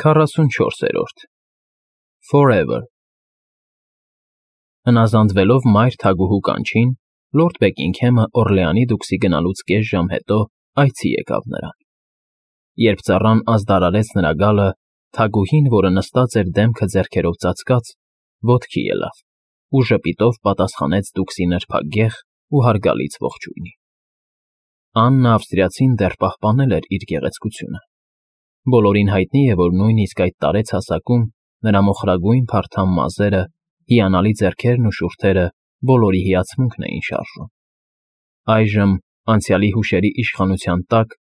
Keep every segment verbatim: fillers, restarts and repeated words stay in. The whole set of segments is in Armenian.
քառասունչորսերորդ Forever Հնազանդվելով մայր թագուհու կանչին, լորդ Բեքինգհեմը Օռլեանի դուքսի գնալուց կես ժամ հետո այցի եկավ նրան։ Երբ ծառան ազդարարեց նրա գալը, թագուհին, որը նստած էր դեմքը ձեռքերով ծածկած, ոտքի ելավ ու ժպիտով պատասխանեց դուքսի նրբագեղ ու հարգալից ողջույնի։ Աննա ավստրիացին դեռ պահպանել էր իր գեղեցկությունը։ Բոլորին հայտնի է, որ նույնիսկ այդ տարեց հասակում նրա մոխրագույն փարթամ մազերը, հիանալի ձեռքերն ու շուրթերը բոլորի հիացմունքն էին շարժում։ Այժմ, անցյալի հուշերի իշխանության տակ,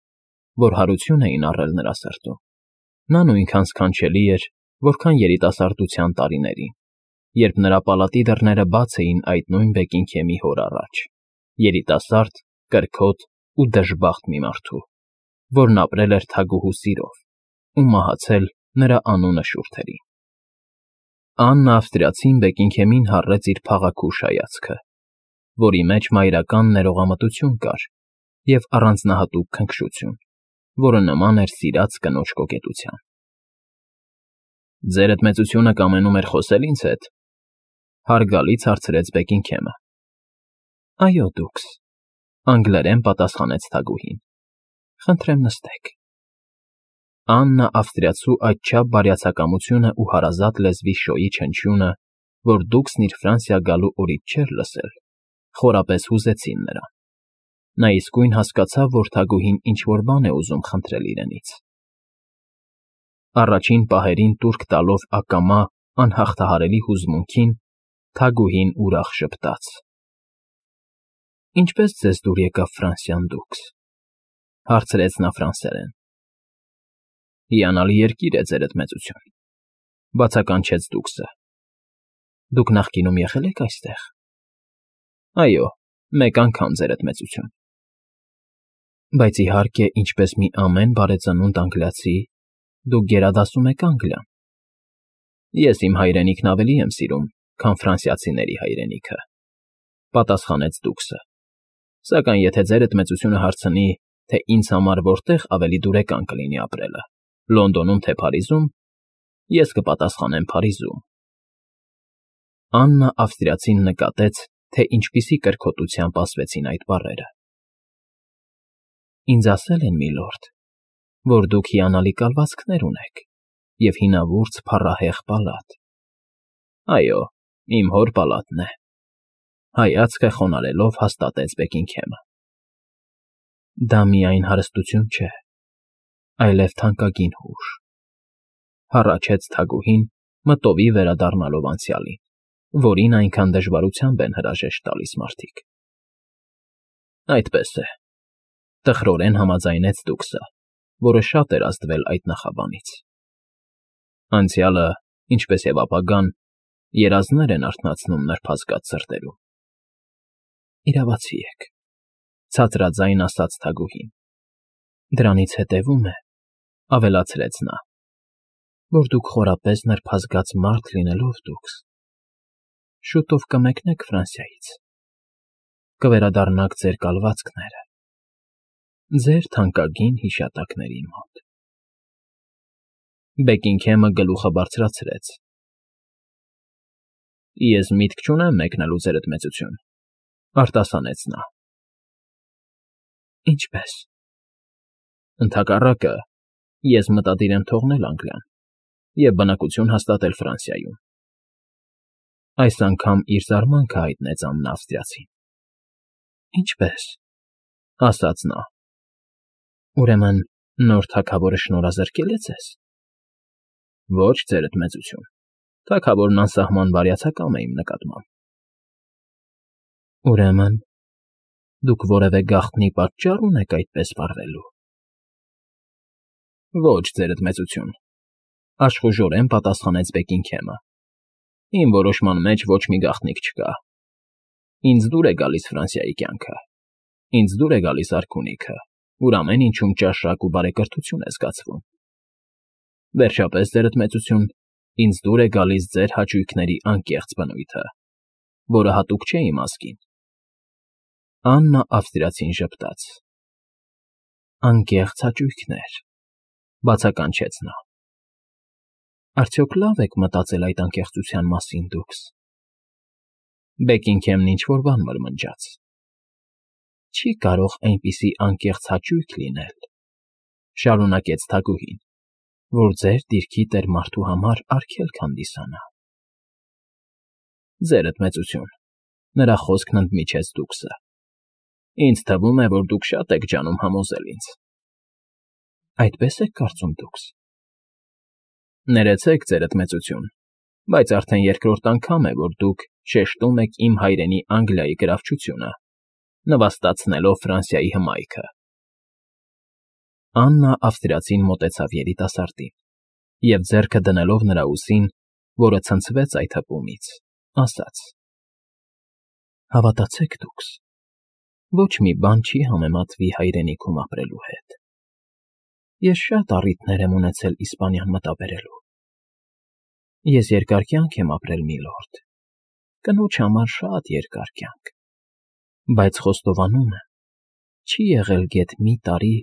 որ հարություն էին առել նրա սրտում, նա նույնքան սքանչելի էր, որքան երիտասարդության տարիներին, երբ նրա պալատի դռները բաց էին այդ նույն Բեքինգհեմի հոր առաջ, երիտասարդ, կրքոտ ու դժբախտ մի մարդու, որն ապրել էր թագուհու սիրով ու մահացել նրա անունը շուրթերին։ Աննա ավստրիացին Բեքինգհեմին հառեց իր փաղաքուշ հայացքը, որի մեջ մայրական ներողամտություն կար և առանձնահատուկ քնքշություն, որը նման էր սիրած կնոջ կոկետության։ Ձերդ մեծությունը կամենում էր խոսել ինձ հետ,֊ հարգալից հարցրեց Բեքինգհեմը։ Այո, դուքս,֊ անգլերեն պատասխանեց թագուհին։ Խնդրեմ նստեք։ Աննա ավստրիացու այդչափ բարյացակամությունը ու հարազատ լեզվի շոյի չնչյունը, որ դուքսն իր Ֆրանսիա գալու օրից չէր լսել, խորապես հուզեցին նրան։ Նա իսկույն հասկացավ, որ թագուհին ինչ֊որ բան է ուզում խնդրել իրենից։ Առաջին պահերին տուրք տալով ակամա, անհաղթահարելի հուզմունքին, թագուհին ուրախ ժպտաց։ Ինչպե՞ս ձեզ դուր եկավ Ֆրանսիան, դուքս,֊ հարցրեց նա ֆրանսերեն։ Հիանալի երկիր է, ձերդ մեծություն,֊ բացականչեց դուքսը։ Դուք նախկինում եղե՞լ եք այստեղ։ Այո, մեկ անգամ, ձերդ մեծություն։ Բայց իհարկե, ինչպես մի ամեն բարեծնունդ անգլիացի, դուք գերադասում եք Անգլիան։ Ես իմ հայրենիքն ավելի եմ սիրում, քան ֆրանսիացիների հայրենիքը,֊ պատասխանեց դուքսը։ Սակայն եթե ձերդ մեծությունը հարցնի, թե ինձ համար որտեղ ավելի դուրեկան կլինի ապրելը, Լոնդոնում թե Փարիզում, ես կպատասխանեմ Փարիզում։ Աննա ավստրիացին նկատեց, թե ինչպիսի կրքոտությամբ ասվեցին այդ բառերը։ Ինձ ասել են, միլորդ, որ դուք հիանալի կալվածքներ ունեք և հինավուրց փառահեղ պալատ։ Այո, իմ հոր պալատն է,֊ հայացքը խոնարհելով հաստատեց Բեքինգհեմը։ Դա միայն հարստություն չէ, այլև թանկագին հուշ,֊ հառաչեց թագուհին, մտովի վերադառնալով անցյալին, որին այնքան դժվարությամբ են հրաժեշտ տալիս մարդիկ։ Այդպես է,֊ տխրորեն համաձայնեց դուքսը, որը շատ էր ազդվել այդ նախաբանից։ Անցյալը, ինչպես և ապագան, երազներ են արթնացնում նրբազգաց սրտերում։ Իրավացի եք,֊ ցածրաձայն ասաց թագուհին։ Դրանից հետևում է,֊ ավելացրեց նա, որ դուք խորապես նրբազգաց մարդ լինելով դուքս, շուտով կմեկնեք Ֆրանսիայից, կվերադառնաք ձեր կալվածքները, ձեր թանկագին հիշատակների մոտ։ Բեքինգհեմը գլուխը բարձրացրեց։ Ես միտք չունեմ մեկնելու, ձերդ մեծություն,֊ արտասանեց նա։ Ինչպե՞ս։ Ընդհակառակը, ես մտադիր եմ թողնել Անգլիան և բնակություն հաստատել Ֆրանսիայում։ Այս անգամ իր զարմանքը հայտնեց Աննա ավստրիացին։ Ինչպե՞ս,֊ ասաց նա։ Ուրեմն նոր թագավորը շնորհազրկե՞լ է ձեզ։ Ոչ, ձերդ մեծություն, թագավորն անսահման բարյացակամ է իմ նկատմամբ։ Ուրեմն դուք որևէ գաղտնի պատճառ ունեք այդպես վարվելու։ Ոչ, ձերդ մեծություն,֊ աշխուժորեն պատասխանեց Բեքինգհեմը։ Իմ որոշման մեջ ոչ մի գաղտնիք չկա։ Ինձ դուր է գալիս Ֆրանսիայի կյանքը, ինձ դուր է գալիս արքունիքը, ուր ամեն ինչում ճաշակ ու բարեկրթություն է զգացվում։ Վերջապես, ձերդ մեծություն, ինձ դուր է գալիս ձեր հաճույքների անկեղծ բնույթը, որը հատուկ չէ իմ ազգին։ Աննա ավստրիացին ժպտաց։ Անկեղծ հաճույքներ,֊ բացականչեց նա։ Արդյոք լավ եք մտածել այդ անկեղծության մասին դուքս։ Բեքինգհեմն ինչ֊որ բան մրմնջաց։ Չի կարող այնպիսի անկեղծ հաճույք լինել, շարունակեց թագուհին, որ ձեր դիրքի տեր մարդու համար արգելք հանդիսանա։ Ձերդ մեծություն, նրա խոսքն ընդմիջեց դուքսը։ Ինձ թվում է, որ դուք շատ եք ջանում համոզել ինձ։ Այդպես եք կարծում դուքս։ Ներեցեք, ձերդ մեծություն, բայց արդեն երկրորդ անգամ է, որ դուք շեշտում եք իմ հայրենի Անգլիայի գրավչությունը, նվաստացնելով Ֆրանսիայի հմայքը։ Աննա ավստրիացին մոտեցավ երիտասարդին և ձեռքը դնելով նրա ուսին, որը ցնցվեց այդ հպումից, ասաց. Հավատացեք դուքս, ոչ մի բան չի համեմատվի հայրենիքում ապրելու հետ։ Ես շատ առիթներ եմ ունեցել Իսպանիան մտաբերելու։ Ես երկար կյանք եմ ապրել, միլորդ, կնոջ համար շատ երկար կյանք, բայց խոստովանում եմ, չի եղել գեթ մի տարի,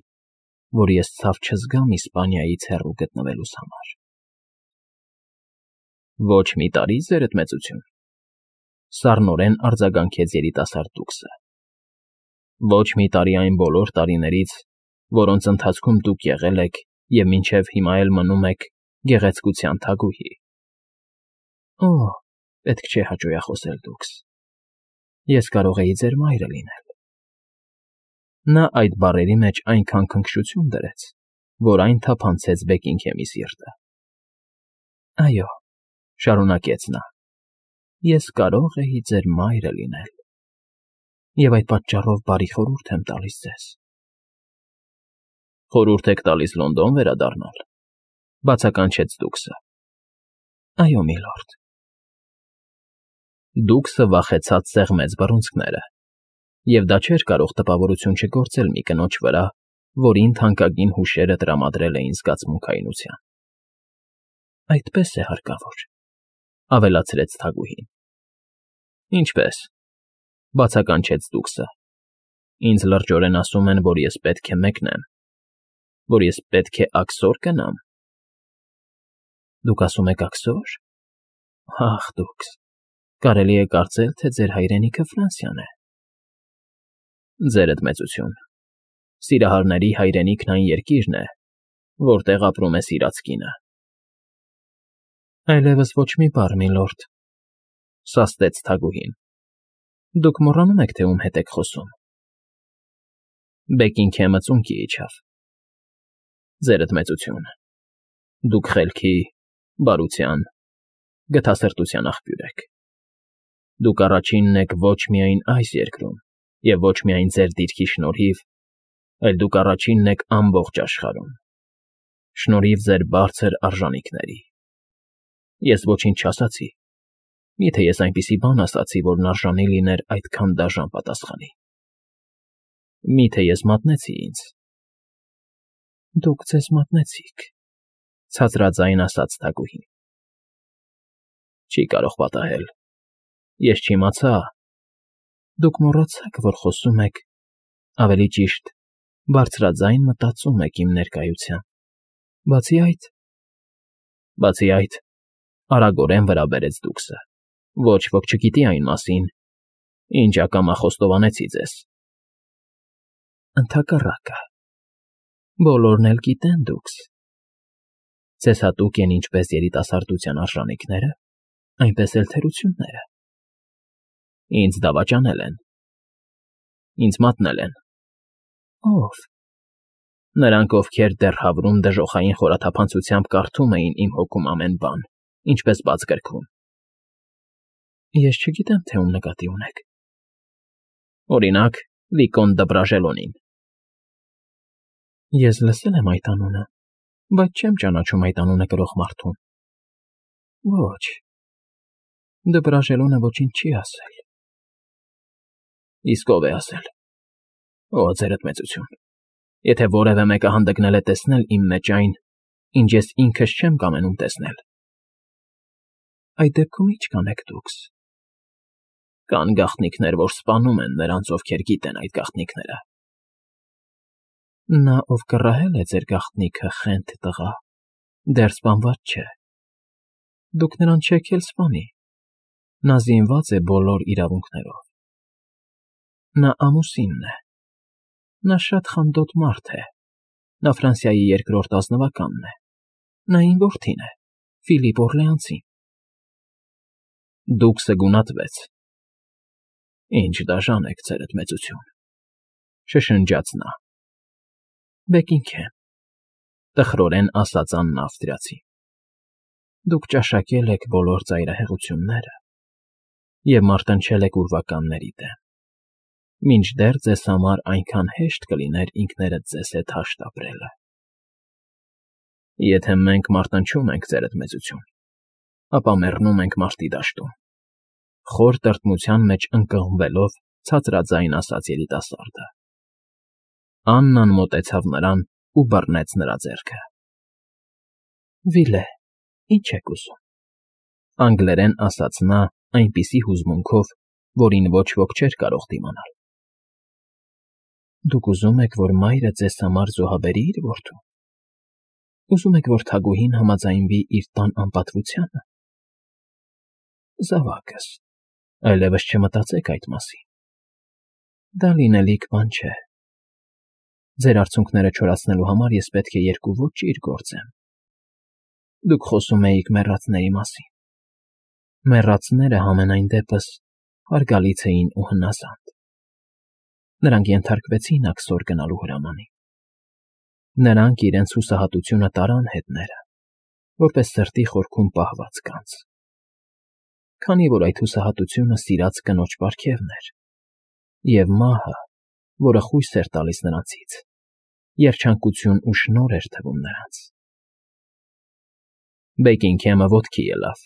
որ ես ցավ չզգամ Իսպանիայից հեռու գտնվելուս համար։ Ոչ մի տարի, ձերդ մեծություն, սառնորեն արձագանքեց երիտասարդ դուքսը։ Ոչ մի տարի այն բոլոր տարիներից, որոնց ընթացքում դուք եղել եք և մինչև հիմա էլ մնում եք գեղեցկության թագուհի։ Օ, պետք չէ հաճոյախոսել դուքս։ Ես կարող էի ձեր մայրը լինել։ Նա այդ բառերի մեջ այնքան քնքշություն դրեց, որ այն թափանցեց Բեքինգհեմի սիրտը։ Այո, շարունակեց նա, ես կարող էի ձեր մայրը լինել, և այդ պատճառով բարի խորհուրդ եմ տալիս ձեզ։ Խորհուրդ եք տալիս Լոնդոն վերադառնալ, բացականչեց դուքսը։ Այո, միլորդ։ Դուքսը վախեցած սեղմեց բռունցքները, և դա չէր կարող տպավորություն չգործել մի կնոջ վրա, որին թանկագին հուշերը տրամադրել էին զգացմունքայնության։ Այդպես է հարկավոր, ավելացրեց թագուհին։ Ինչպես, բացականչեց դուքսը։ Ինձ լրջորեն ասում են, որ ես պետք է մեկնեմ, որ ես պետք է աքսոր գնամ։ Դուք ասում եք աքսո՞ր։ Ախ, դուքս, կարելի է կարծել, թե ձեր հայրենիքը Ֆրանսիան է։ Ձերդ մեծություն, սիրահարների հայրենիքն այն երկիրն է, որտեղ ապրում է սիրած կինը։ Այլևս ոչ մի բառ, միլորդ, սաստեց թագուհին։ Դուք մոռանում եք, թե ում հետ եք խոսում։ Բեքինգհեմը ծունկի իջավ։ Ձերդ մեծություն, դուք խելքի, բարության, գթասրտության աղբյուր եք։ Դուք առաջինն եք ոչ միայն այս երկրում և ոչ միայն ձեր դիրքի շնորհիվ, այլ դուք առաջինն եք ամբողջ աշխարհում, շնորհիվ ձեր բարձր արժանիքների։ Ես ոչինչ չասացի, միթե ես այնպիսի բան ասացի, որն արժանի լիներ այդքան դաժան պատասխանի։ Միթե ես մատնեցի ինձ։ Դուք ձեզ մատնեցիք, ցածրաձայն ասաց թագուհին։ Չի կարող պատահել։ Ես չիմացա։ Դուք մոռացաք, որ խոսում եք, ավելի ճիշտ, բարձրաձայն մտածում եք իմ ներկայության։ Բացի այդ… Բացի այդ, արագորեն վրա բերեց դուքսը, ոչ ոք չգիտի այն մասին, ինչ ակամա խոստովանեցի ձեզ։ Ընդհակառակը, բոլորն էլ գիտեն դուքս։ Ձեզ հատուկ են ինչպես երիտասարդության արժանիքները, այնպես էլ թերությունները։ Ինձ դավաճանել են։ Ինձ մատնել են։ Ո՞վ։ Նրանք, ովքեր դեռ հավրում դժոխային խորաթափանցությամբ կարդում էին իմ հոգում ամեն բան, ինչպես բաց գրքում։ Ես չգիտեմ, թե ում նկատի ունեք։ Օրինակ, Վիկոն դը Բրաժելոնին։ Ես լսել եմ այդ անունը, բայց չեմ ճանաչում այդ անունը կրող մարդուն։ Ոչ, դը Բրաժելոնը ոչինչ չի ասել։ Իսկ ով է ասել։ Օ, ձերդ մեծություն, եթե որևէ մեկը հանդգնել է տեսնել իմ մեջ այն, ինչ ես ինքս չեմ կամենում տեսնել։ Այդ դեպքում ի՞նչ կանեք դուքս։ Կան գաղտնիքներ, որ սպանում են նրանց, ովքեր գիտեն այդ գաղտնիքները։ Նա, ով կռահել է ձեր գաղտնիքը, խենթ տղա, դեռ սպանված չէ։ Դուք նրան չեք էլ սպանի, նա զինված է բոլոր իրավունքներով։ Նա ամուսինն է, նա շատ խանդոտ մարդ է, նա Ֆրանսիայի երկրորդ ազնվականն է, նա իմ որդին է, Ֆիլիպ Օռլեանցին։ Դուքսը գունատվեց։ Ինչ դաժան եք, ձերդ մեծություն, շշնջաց նա։ Բեկինգհեմ, տխրորեն ասաց Աննա Ավստրիացին, դուք ճաշակել եք բոլոր ծայրահեղությունները և մարտնչել եք ուրվականների դեմ, մինչդեռ ձեզ համար այնքան հեշտ կլիներ ինքներդ ձեզ հետ հաշտ ապրելը։ Եթե մենք մարտնչում ենք, ձերդ մեծություն, ապա մեռնում ենք մարտի դաշտում, խոր տրտմության մեջ ընկղմվելով ցածրաձայն ասաց երիտասարդը։ Աննան մոտեցավ նրան ու բռնեց նրա ձեռքը։ Վիլե, ի՞նչ եք ուզում, անգլերեն ասաց նա այնպիսի հուզմունքով, որին ոչ ոք չէր կարող դիմանալ։ Դուք ուզում եք, որ մայրը ձեզ համար զոհաբերի իր որդուն։ Ուզում եք, որ թագուհին համաձայնվի իր տան անպատվությանը։ Զավակս, այլևս չմտածեք այդ մասին։ Դա լինելիք բան չէ։ Ձեր արցունքները չորացնելու համար ես պետք է երկու ոճիր գործեմ։ Դուք խոսում էիք մեռածների մասին։ Մեռածները համենայն դեպս հարգալից էին ու հնազանդ։ Նրանք ենթարկվեցին աքսոր գնալու հրամանին։ Նրանք իրենց հուսահատությունը տարան հետները, որպես սրտի խորքում պահված կանց։ Քանի որ այդ հուսահատությունը սիրած կնոջ պարգևն էր, և մահը, որը խույս էր տալիս նրանցից, երջանկություն ու շնորհ էր թվում նրանց։ Բեկինգհեմը ոտքի ելավ։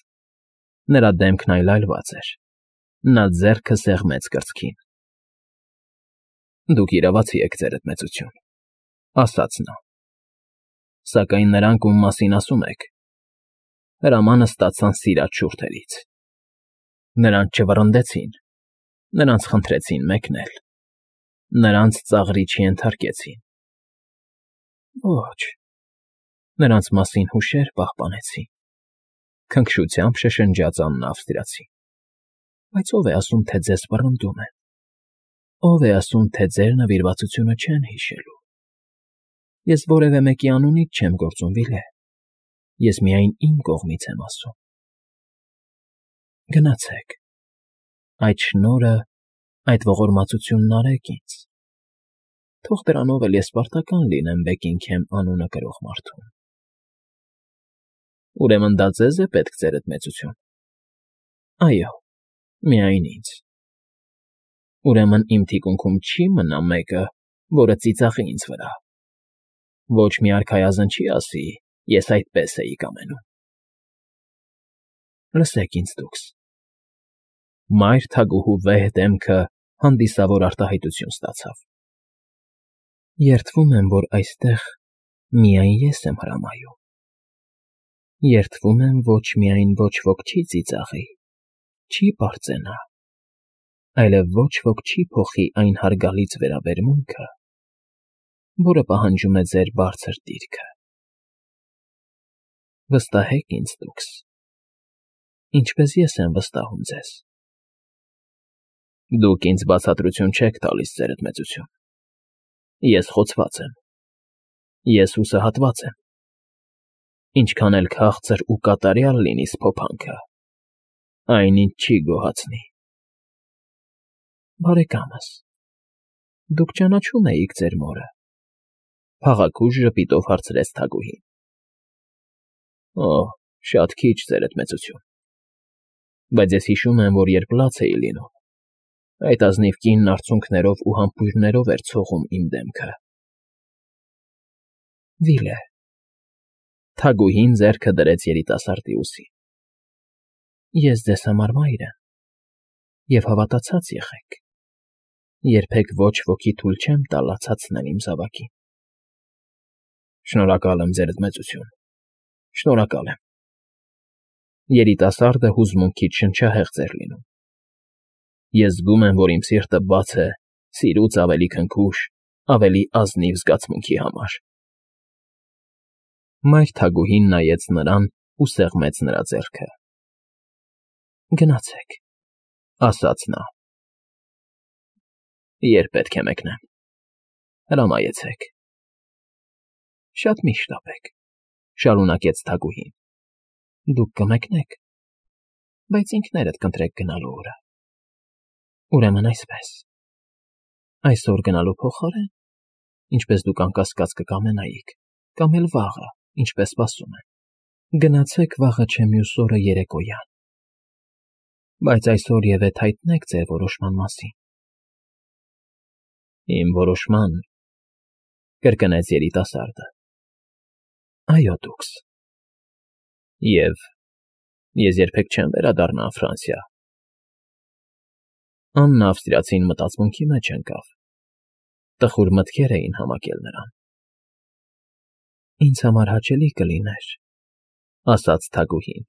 Նրա դեմքն այլայլված էր։ Նա ձեռքը սեղմեց կրծքին։ Դուք իրավացի եք, ձերդ մեծություն, ասաց նա։ Սակայն նրանք, ում մասին ասում եք, հրամանը ստացան սիրած շուրթերից։ Նրանց չվռնդեցին, նրանց խնդրեցին մեկնել, նրանց ծաղրի չենթարկեցին։ Ոչ, նրանց մասին հուշեր պահպանեցին, քնքշությամբ շշնջաց Աննա Ավստրիացին։ Բայց ո՞վ է ասում, թե ձեզ վռնդում են։ Ո՞վ է ասում, թե ձեր նվիրվածությունը չեն հիշելու։ Ես որևէ մեկի անունից չեմ գործում, Վիլե, ես միայն իմ կողմից եմ ասում։ Գնացեք, այդ շնորհը, այդ ողորմածությունն արեք ինձ։ Թող դրանով էլ ես պարտական լինեմ Բեկինգհեմ անունը կրող մարդուն։ Ուրեմն դա ձեզ է պետք, ձերդ մեծություն։ Այո, միայն ինձ։ Ուրեմն իմ թիկունքում չի մնա մեկը, որը ծիծաղի ինձ վրա։ Ոչ մի արքայազն չի ասի, ես այդպես էի կամենում։ Լսեք ինձ դուքս։ Մայր թագուհու վեհ դեմքը հանդիսավոր արտահայտություն ստացավ։ Երդվում եմ, որ այստեղ միայն ես եմ հրամայում։ Երդվում եմ, ոչ միայն ոչ ոք չի ծիծաղի, չի պարծենա, այլև ոչ ոք չի փոխի այն հարգալից վերաբերմունքը, որը պահանջում է ձեր բարձր դիրքը։ Վստահեք ինձ դուքս, ինչպես ես եմ վստահում ձեզ։ Դուք ինձ բացատրություն չեք տալիս, ձերդ մեծություն։ Ես խոցված եմ։ Ես հուսահատված եմ։ Ինչքան էլ քաղցր ու կատարյալ լինի սփոփանքը, այնինչ չի գոհացնի։ Բարեկամս, դուք ճանաչում էիք ձեր մորը, փաղաքուշ ժպիտով հարցրեց թագուհին։ Օ, շատ քիչ, ձերդ մեծություն։ Բայց ես հիշում եմ, որ երբ լաց էի լինում, այդ ազնիվ կինն արցունքներով ու համբույրներով էր ցողում իմ դեմքը։ Վիլե, թագուհին ձեռքը դրեց երիտասարդի ուսին։ Ես ձեզ համար մայր եմ, և հավատացած եղեք, երբեք ոչ ոքի թույլ չեմ տա լացացնել իմ զավակին։ Շնորհակալ եմ, ձերդ մեծություն, շնորհակալ եմ։ Երիտասարդը հուզմունքից շնչահեղձ էր լինում։ Ես զգում եմ, որ իմ սիրտը բաց է սիրուց ավելի քնքուշ, ավելի ազնիվ զգացմունքի համար։ Մայր թագուհին նայեց նրան ու սեղմեց նրա ձեռքը։ Գնացեք, ասաց նա։ Երբ պետք է մեկնեմ, հրամայեցեք։ Շատ մի շտապեք, շարունակեց Թագուհին։ Դուք կմեկնեք, բայց ինքներդ կընտրեք գնալու օրը։ Ուրեմն այսպես, այսօր գնալու փոխարեն, ինչպես դուք անկասկած կկամենայիք, կամ էլ վաղը, ինչպես սպասում են, գնացեք վաղը չէ մյուս օրը երեկոյան։ Բայց այսօր ևեթ հայտնեք ձեր որոշման մասին։ Իմ որոշման, կրկնեց երիտասարդը։ Այո, դուքս։ Եվ ես երբեք չեմ վերադառնա Ֆրանսիա։ Աննա ավստրիացին մտածմունքի մեջ ընկավ։ Տխուր մտքեր էին համակել նրան։ Ինձ համար հաճելի կլիներ, ասաց Թագուհին,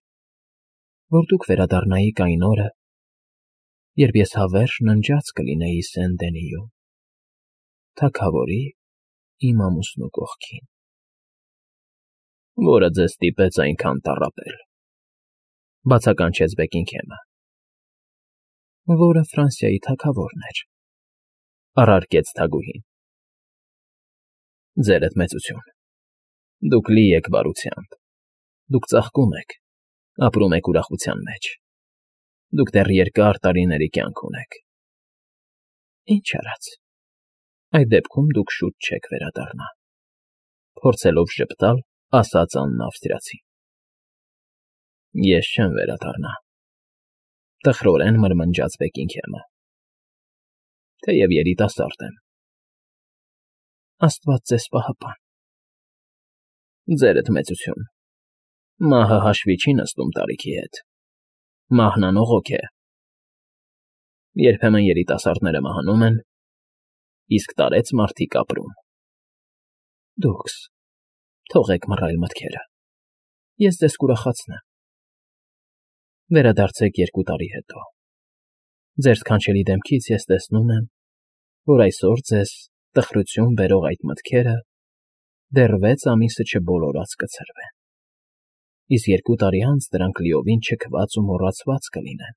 որ դուք վերադառնայիք այն օրը, երբ ես հավերժ ննջած կլինեի Սեն֊Դենիում, թագավորի իմ ամուսնու կողքին։ Որը ձեզ ստիպեց այնքան տառապել, բացականչեց Բեքինգհեմը։ Որը Ֆրանսիայի թագավորն էր, առարկեց Թագուհին։ Ձերդ մեծություն, դուք լի եք բարությամբ, դուք ծաղկում եք, ապրում եք ուրախության մեջ, դուք դեռ երկար տարիների կյանք ունեք։ Ինչ արած, այդ դեպքում դուք շուտ չեք վերադառնա, փորձելով ժպտալ, ասաց Աննա ավստրիացին։ Ես չեմ վերադառնա, տխրորեն մրմնջաց Բեքինգհեմը, թեև երիտասարդ եմ։ Աստված ձեզ պահապան։ Ձերդ մեծություն, մահը հաշվի չի նստում տարիքի հետ, մահն անողոք է։ Երբեմն երիտասարդները մահանում են, իսկ տարեց մարդիկ ապրում։ Դուքս, թողեք մռայլ մտքերը, ես ձեզ կուրախացնեմ։ Վերադարձեք երկու տարի հետո։ Ձեր սքանչելի դեմքից ես տեսնում եմ, որ այսօր ձեզ տխրություն բերող այդ մտքերը դեռ վեց ամիսը չբոլորած կցրվեն, իսկ երկու տարի անց դրանք լիովին չքված ու մոռացված կլինեն։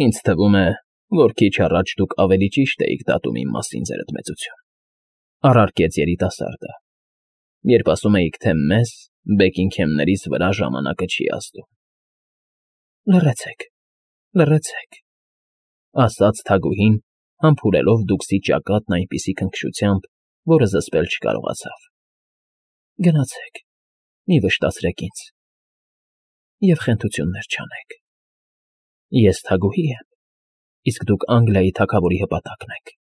Ինձ թվում է, որ քիչ առաջ դուք ավելի ճիշտ էիք դատում իմ մասին, ձերդ մեծություն, առարկեց երիտասարդը, երբ ասում էիք, թե մեզ, Բեքինգհեմներից վրա ժամանակը չի ազդում։ Լռեցեք, լռեցեք, ասաց Թագուհին, համբուրելով դուքսի ճակատն այնպիսի քնքշությամբ, որը զսպել չկարողացավ։ Գնացեք, մի վշտացրեք ինձ, և խենթություններ չանեք։ Ես Թագուհի եմ, իսկ դուք Անգլիայի թագավորի հպատակն եք։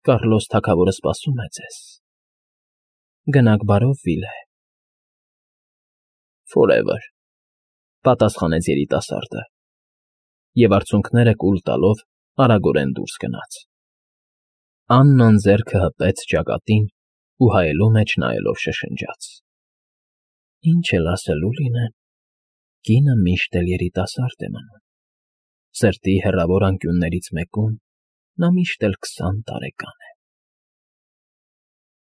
Կառլոս թագավորը սպասում է ձեզ։ Գնաք բարով, Վիլե։ Forever, պատասխանեց երիտասարդը, և արցունքները կուլ տալով արագորեն դուրս գնաց։ Աննան ձեռքը հպեց ճակատին ու հայելու մեջ նայելով շշնջաց. Ինչ էլ ասելու լինեն, կինը միշտ էլ երիտասարդ է մնում, սրտի հեռավոր անկյուններից մեկում նա միշտ էլ քսան տարեկան է։